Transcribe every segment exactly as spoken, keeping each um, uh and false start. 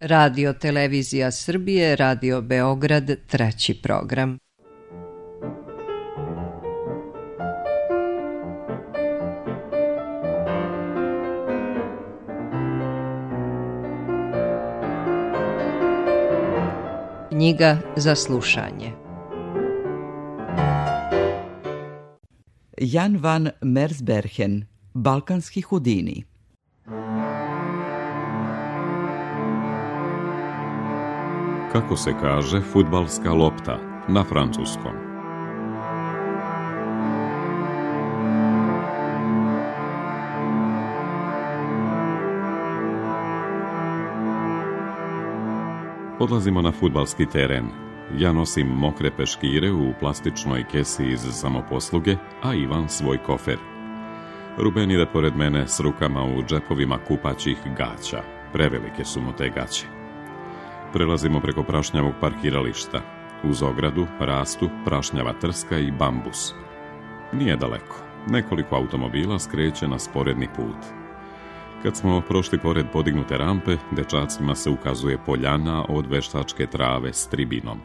Radio Televizija Srbije, Radio Beograd, treći program. Knjiga za slušanje. Jan van Mersbergen, Balkanski Houdini. Kako se kaže fudbalska lopta na francuskom? Odlazimo na fudbalski teren. Ja nosim mokre peškire u plastičnoj kesi iz samoposluge, a Ivan svoj kofer. Ruben ide pored mene s rukama u džepovima kupaćih gaća. Prevelike su mu te gaće. Prelazimo preko prašnjavog parkirališta. Uz ogradu rastu prašnjava trska i bambus. Nije daleko. Nekoliko automobila skreće na sporedni put. Kad smo prošli pored podignute rampe, dečacima se ukazuje poljana od veštačke trave s tribinom.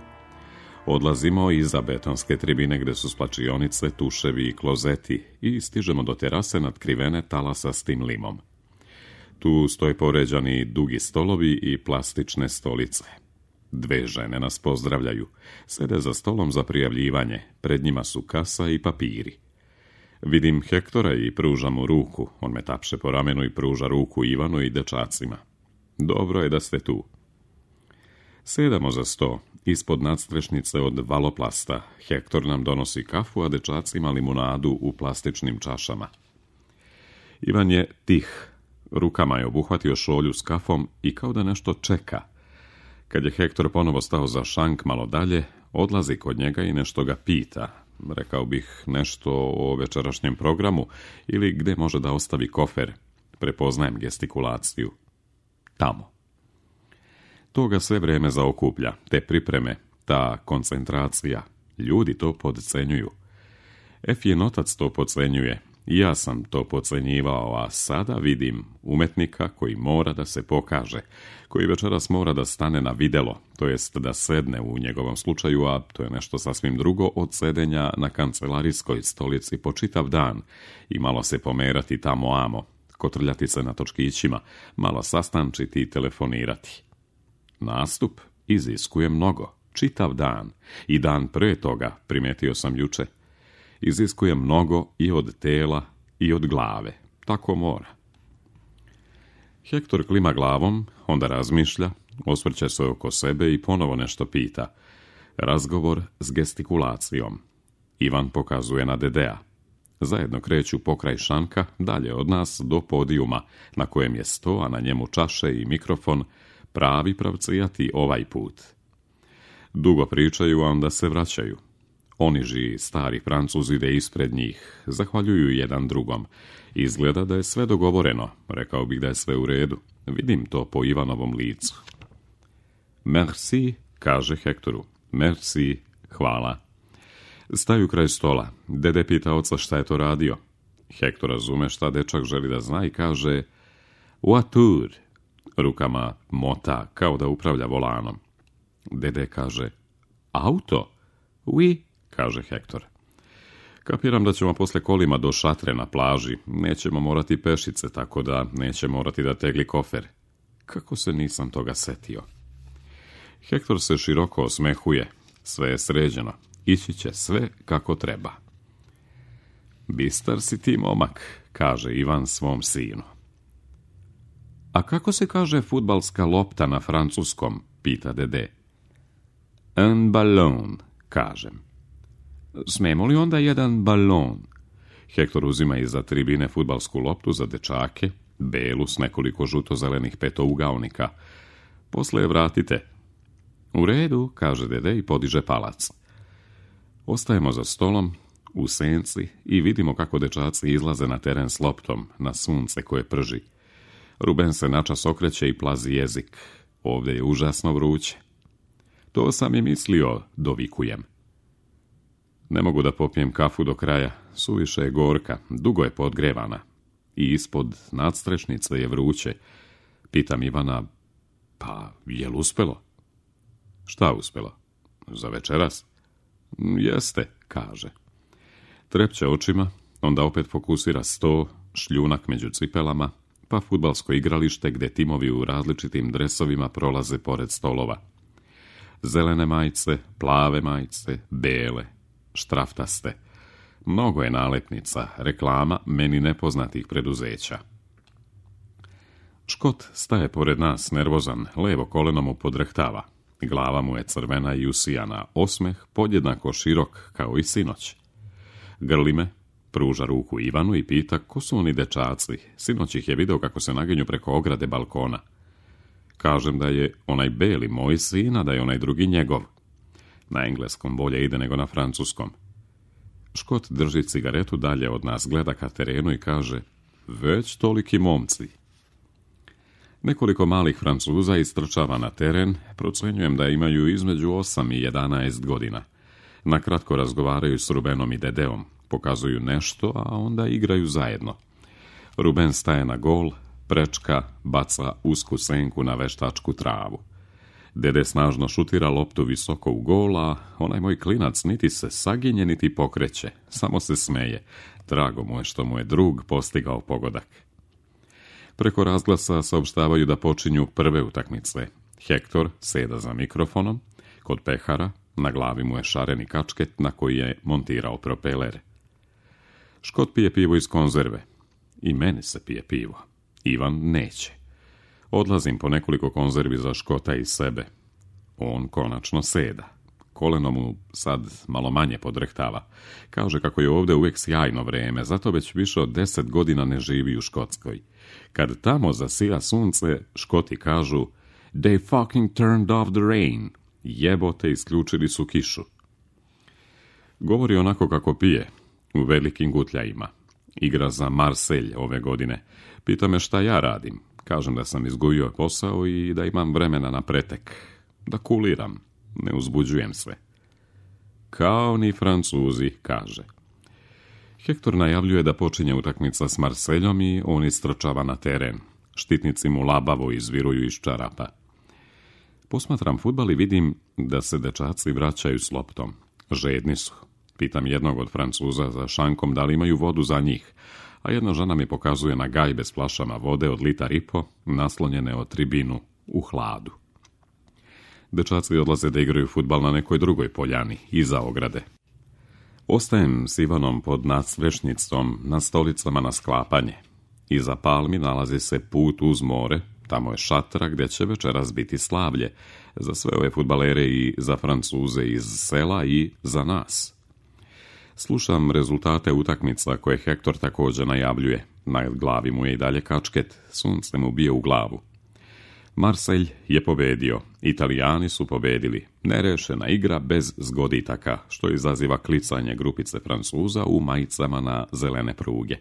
Odlazimo iza betonske tribine gde su splačionice, tuševi i klozeti i stižemo do terase natkrivene talasastim limom. Tu stoje poređani dugi stolovi i plastične stolice. Dve žene nas pozdravljaju. Sede za stolom za prijavljivanje. Pred njima su kasa i papiri. Vidim Hektora i pružam mu ruku. On me tapše po ramenu i pruža ruku Ivanu i dečacima. Dobro je da ste tu. Sedamo za sto. Ispod nadstrešnice od valoplasta. Hektor nam donosi kafu, a dečacima limunadu u plastičnim čašama. Ivan je tih. Rukama je obuhvatio šolju s kafom i kao da nešto čeka. Kad je Hektor ponovo stao za šank malo dalje, odlazi kod njega i nešto ga pita. Rekao bih nešto o večerašnjem programu ili gde može da ostavi kofer. Prepoznajem gestikulaciju. Tamo. To ga sve vreme zaokuplja, te pripreme, ta koncentracija. Ljudi to podcenjuju. Efin otac to podcenjuje. I ja sam to podcenjivao, a sada vidim umetnika koji mora da se pokaže, koji večeras mora da stane na videlo, to jest da sedne u njegovom slučaju, a to je nešto sasvim drugo od sedenja na kancelarijskoj stolici po čitav dan i malo se pomerati tamo amo, kotrljati se na točkićima, malo sastančiti i telefonirati. Nastup iziskuje mnogo, čitav dan i dan pre toga, primetio sam juče, iziskuje mnogo i od tela i od glave. Tako mora. Hektor klima glavom, onda razmišlja, osvrće se oko sebe i ponovo nešto pita. Razgovor s gestikulacijom. Ivan pokazuje na Dedea. Zajedno kreću pokraj šanka, dalje od nas do podijuma, na kojem je sto, a na njemu čaše i mikrofon, pravi pravcijati ovaj put. Dugo pričaju, a onda se vraćaju. Oniži stari Francuz ide ispred njih, zahvaljuju jedan drugom. Izgleda da je sve dogovoreno, rekao bih da je sve u redu. Vidim to po Ivanovom licu. Merci, kaže Hektoru. Merci, hvala. Staju kraj stola. Dede pita oca šta je to radio. Hektor razume šta dečak želi da zna i kaže voiture. Rukama mota, kao da upravlja volanom. Dede kaže auto. Oui, kaže Hektor. Kapiram da ćemo posle kolima do šatre na plaži. Nećemo morati pešice, tako da neće morati da tegli kofer. Kako se nisam toga setio? Hektor se široko osmehuje. Sve je sređeno. Ići će sve kako treba. Bistar si ti, momak, kaže Ivan svom sinu. A kako se kaže fudbalska lopta na francuskom, pita dede. Un ballon, kažem. Smemo li onda jedan balon? Hektor uzima iza tribine fudbalsku loptu za dečake, belu s nekoliko žuto-zelenih petougaonika. Posle je vratite. U redu, kaže dede i podiže palac. Ostajemo za stolom, u senci i vidimo kako dečaci izlaze na teren s loptom, na sunce koje prži. Ruben se načas okreće i plazi jezik. Ovdje je užasno vruće. To sam i mislio, dovikujem. Ne mogu da popijem kafu do kraja, suviše je gorka, dugo je podgrevana. I ispod nadstrešnice je vruće. Pitam Ivana, Pa, jel uspelo? Šta uspelo? Za večeras? Jeste, kaže. Trepće očima, onda opet fokusira sto, šljunak među cipelama, pa fudbalsko igralište gdje timovi u različitim dresovima prolaze pored stolova. Zelene majice, plave majice, bele, štraftaste. Mnogo je nalepnica, reklama meni nepoznatih preduzeća. Škot staje pored nas, nervozan, levo koleno mu podrhtava. Glava mu je crvena i usijana, osmeh podjednako širok kao i sinoć. Grli me, pruža ruku Ivanu i pita ko su oni dečaci. Sinoć ih je video kako se naginju preko ograde balkona. Kažem da je onaj beli moj sin, a da je onaj drugi njegov. Na engleskom bolje ide nego na francuskom. Škot drži cigaretu dalje od nas, gleda ka terenu i kaže, već toliki momci. Nekoliko malih Francuza istrčava na teren, procenjujem da imaju između osam i jedanaest godina. Nakratko razgovaraju s Rubenom i Dedeom, pokazuju nešto, a onda igraju zajedno. Ruben staje na gol, prečka, baca usku senku na veštačku travu. Dede snažno šutira loptu visoko u gol, a onaj moj klinac niti se saginje, niti pokreće, samo se smeje. Drago mu je što mu je drug postigao pogodak. Preko razglasa saopštavaju da počinju prve utakmice. Hektor seda za mikrofonom, kod pehara, na glavi mu je šareni kačket na koji je montirao propeler. Škot pije pivo iz konzerve. I meni se pije pivo. Ivan neće. Odlazim po nekoliko konzervi za Škota i sebe. On konačno seda. Koleno mu sad malo manje podrhtava. Kaže kako je ovdje uvijek sjajno vreme, zato već više od deset godina ne živi u Škotskoj. Kad tamo zasija sunce, Škoti kažu They fucking turned off the rain. Jebote, isključili su kišu. Govori onako kako pije, u velikim gutljajima. Igra za Marseille ove godine. Pita me šta ja radim. Kažem da sam izgubio posao i da imam vremena na pretek. Da kuliram, ne uzbuđujem se. Kao ni Francuzi, kaže. Hektor najavljuje da počinje utakmica s Marseljom i on istrčava na teren. Štitnici mu labavo izviruju iz čarapa. Posmatram fudbal i vidim da se dečaci vraćaju s loptom. Žedni su. Pitam jednog od Francuza za šankom da li imaju vodu za njih, a jedna žena mi pokazuje na gajbe s flašama vode od litar i po, naslonjene od tribinu u hladu. Dečaci odlaze da igraju fudbal na nekoj drugoj poljani, iza ograde. Ostajem s Ivanom pod nadsprešnicom na stolicama na sklapanje. Iza palmi nalazi se put uz more, tamo je šatra gdje će večeras biti slavlje, za sve ove fudbalere i za Francuze iz sela i za nas. Slušam rezultate utakmica koje Hektor također najavljuje. Na glavi mu je i dalje kačket, sunce mu bije u glavu. Marseille je pobedio, Italijani su pobedili, nerešena igra bez zgoditaka, što izaziva klicanje grupice Francuza u majicama na zelene pruge.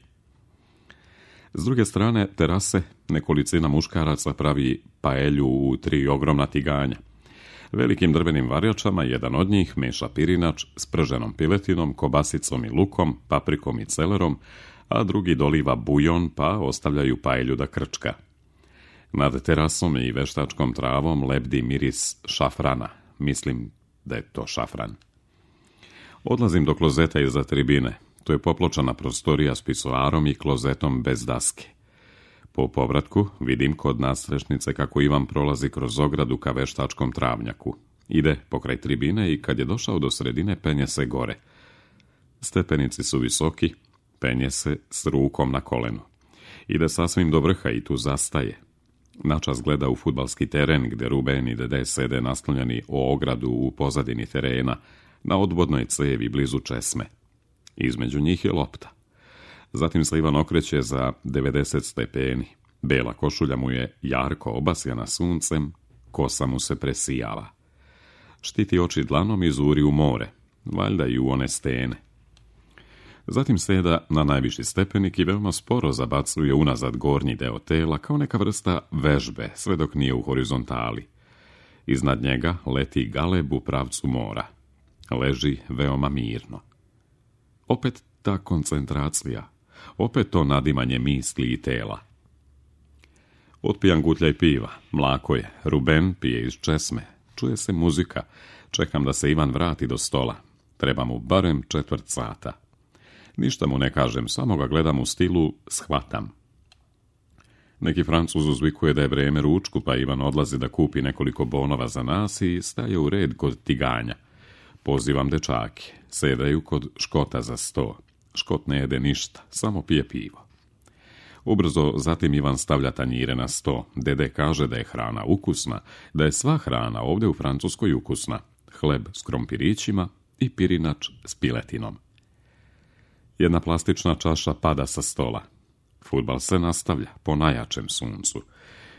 S druge strane terase nekolicina muškaraca pravi paelju u tri ogromna tiganja. Velikim drvenim varjačama jedan od njih meša pirinač s prženom piletinom, kobasicom i lukom, paprikom i celerom, a drugi doliva bujon pa ostavljaju paelju da krčka. Nad terasom i veštačkom travom lebdi miris šafrana. Mislim da je to šafran. Odlazim do klozeta iza tribine. To je popločana prostorija s pisoarom i klozetom bez daske. Po povratku vidim kod nadstrešnice kako Ivan prolazi kroz ogradu ka veštačkom travnjaku. Ide pokraj tribine i kad je došao do sredine penje se gore. Stepenici su visoki, penje se s rukom na kolenu. Ide sasvim do vrha i tu zastaje. Načas gleda u fudbalski teren gdje Ruben i Dede sede naslonjeni o ogradu u pozadini terena, na odvodnoj cevi blizu česme. Između njih je lopta. Zatim se Ivan okreće za devedeset stepeni. Bela košulja mu je jarko obasjana suncem, kosa mu se presijava. Štiti oči dlanom i zuri u more, valjda i u one stene. Zatim seda na najviši stepenik i veoma sporo zabacuje unazad gornji deo tela kao neka vrsta vežbe, sve dok nije u horizontali. Iznad njega leti galeb u pravcu mora. Leži veoma mirno. Opet ta koncentracija, opet to nadimanje misli i tela. Otpijam gutljaj piva, mlako je, Ruben pije iz česme, čuje se muzika, čekam da se Ivan vrati do stola. Treba mu barem četvrt sata. Ništa mu ne kažem, samo ga gledam u stilu shvatam. Neki Francuz uzvikuje da je vrijeme ručku, pa Ivan odlazi da kupi nekoliko bonova za nas i staje u red kod tiganja. Pozivam dečake, sedaju kod Škota za sto. Škot ne jede ništa, samo pije pivo. Ubrzo zatim Ivan stavlja tanjire na sto. Dede kaže da je hrana ukusna, da je sva hrana ovdje u Francuskoj ukusna. Hleb s krompirićima i pirinač s piletinom. Jedna plastična čaša pada sa stola. Fudbal se nastavlja po najjačem suncu.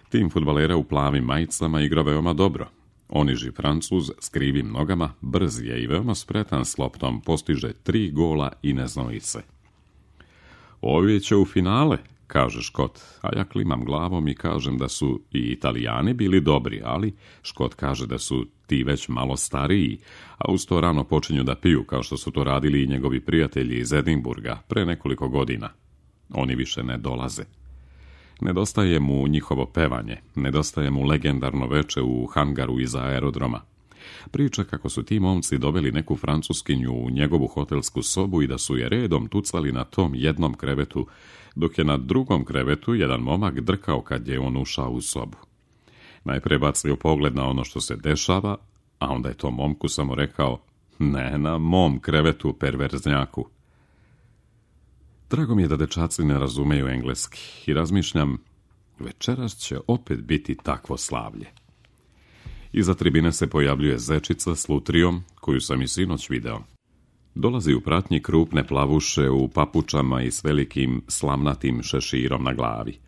Tim fudbalera u plavim majicama igra veoma dobro. Oniži Francuz s krivim nogama, brz je i veoma spretan s loptom, postiže tri gola i ne znoji se. Ovi će u finale, kaže Škot, a ja klimam glavom i kažem da su i Italijani bili dobri, ali Škot kaže da su ti već malo stariji, a uz to rano počinju da piju kao što su to radili i njegovi prijatelji iz Edinburga pre nekoliko godina. Oni više ne dolaze. Nedostaje mu njihovo pevanje, nedostaje mu legendarno veče u hangaru iza aerodroma. Priča kako su ti momci doveli neku Francuskinju u njegovu hotelsku sobu i da su je redom tucali na tom jednom krevetu, dok je na drugom krevetu jedan momak drkao kad je on ušao u sobu. Najprije bacio pogled na ono što se dešava, a onda je to momku samo rekao, ne na mom krevetu, perverznjaku. Drago mi je da dečaci ne razumeju engleski i razmišljam, večeras će opet biti takvo slavlje. Iza tribine se pojavljuje zečica s lutrijom, koju sam i sinoć video. Dolazi u pratnji krupne plavuše u papučama i s velikim slamnatim šeširom na glavi.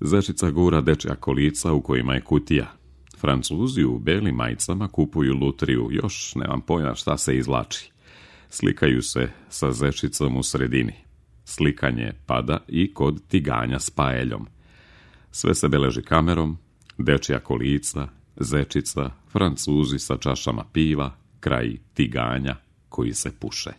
Zečica gura dečja kolica u kojima je kutija. Francuzi u belim majicama kupuju lutriju, još nemam pojma šta se izvlači. Slikaju se sa zečicom u sredini. Slikanje pada i kod tiganja s paeljom. Sve se beleži kamerom, dečja kolica, zečica, Francuzi sa čašama piva, kraj tiganja koji se puše.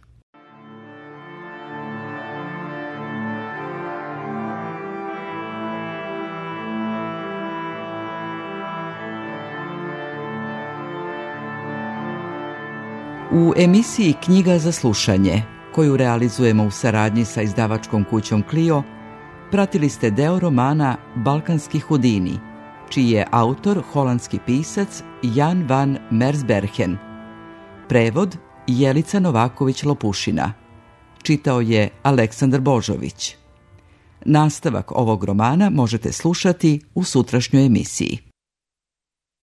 U emisiji Knjiga za slušanje, koju realizujemo u saradnji sa izdavačkom kućom Clio, pratili ste deo romana Balkanski Hudini, čiji je autor holandski pisac Jan van Mersbergen. Prevod Jelica Novaković-Lopušina. Čitao je Aleksandar Božović. Nastavak ovog romana možete slušati u sutrašnjoj emisiji.